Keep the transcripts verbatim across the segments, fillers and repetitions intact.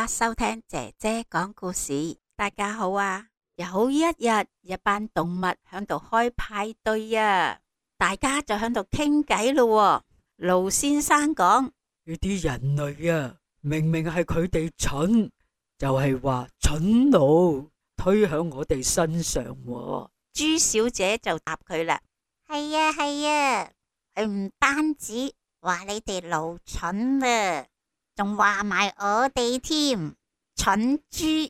家收聽姐姐講故事。大家好啊！有一日，一班動物響度開派對啊，大家就響度傾偈咯。盧先生講：呢啲人類啊，明明係佢哋蠢，就係話蠢奴推響我哋身上喎。朱小姐就答佢啦：係啊係啊，佢唔單止話你哋奴蠢啊，仲話埋我哋添，蠢豬。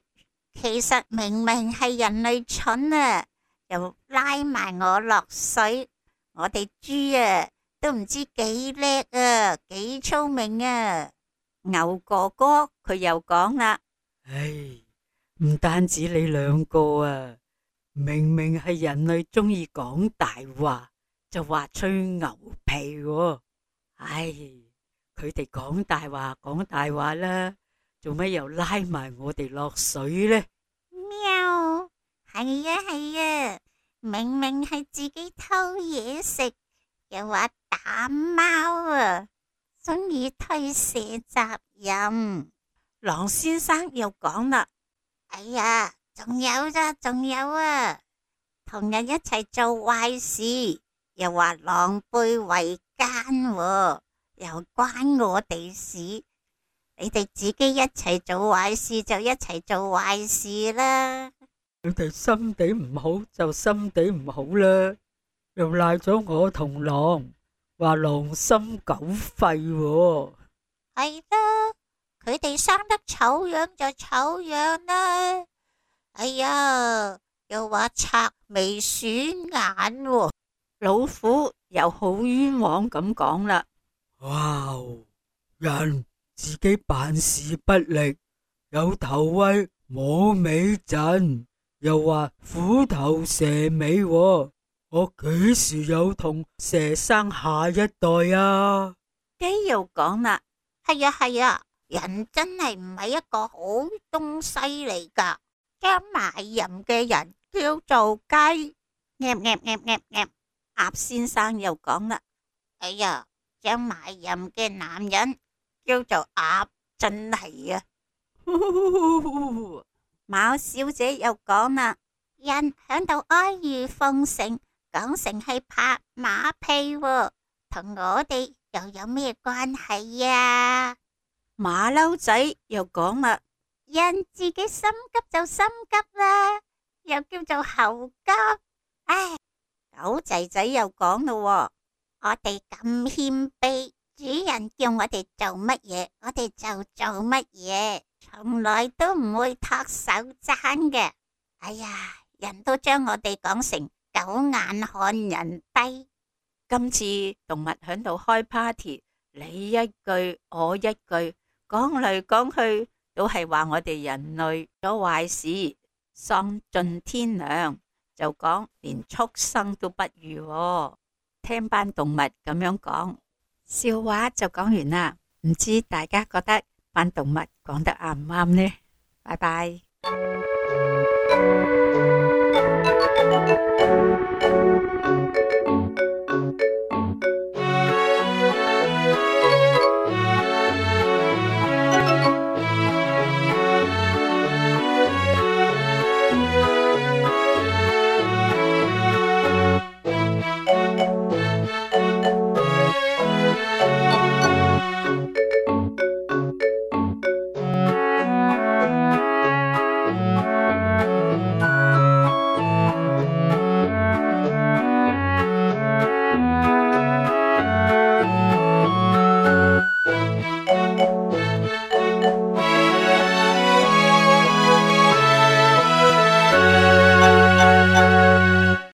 其實明明係人類蠢啊，又拉埋我落水。我哋豬啊，都唔知幾叻啊，幾聰明啊。牛哥哥佢又講啦：唉，唔單止你兩個啊，明明係人類中意講大話，就話吹牛皮喎。唉，佢哋講大話講大話啦，做乜又拉埋我哋落水呢？喵，係啊係啊，明明係自己偷嘢食，又話打貓啊，中意推卸責任。狼先生又講啦：哎呀，仲有咋，仲有啊，同人一齊做壞事，又話狼狽為奸喎，又關我哋事。你哋自己一齊做壞事就一齊做壞事啦。佢哋心地唔好就心地唔好啦，又賴咗我同狼，話狼心狗肺喎。係啦，佢哋生得醜樣就醜樣啦。哎呀，又話賊眉鼠眼喎。老虎又好冤枉咁講啦：哇，人自己辦事不力，有頭威冇尾陣，又話虎頭蛇尾喎，我幾時有同蛇生下一代啊？雞又講啦：係啊係啊，人真係唔係一個好東西嚟噶，將賣淫嘅人叫做雞。噏噏噏噏噏，鴨先生又講啦：哎呀，將賣淫嘅男人叫做鴨，真係啊！貓小姐又講啦：人響度阿諛奉承，講成係拍馬屁喎，同我哋又有咩關係啊？馬騮仔又講啦：人自己心急就心急啦，又叫做猴急。唉，狗仔仔又講咯：我哋咁謙卑，主人叫我哋做乜嘢，我哋就做乜嘢，從來都唔會托手踭嘅。哎呀，人都將我哋講成狗眼看人低。今次動物響度開 party， 你一句我一句，講嚟講去都係話我哋人類做壞事，喪盡天良，就講連畜生都不如喎。聽班動物咁樣講，笑話就講完啦。唔知大家覺得班動物講得啱唔啱呢？拜拜。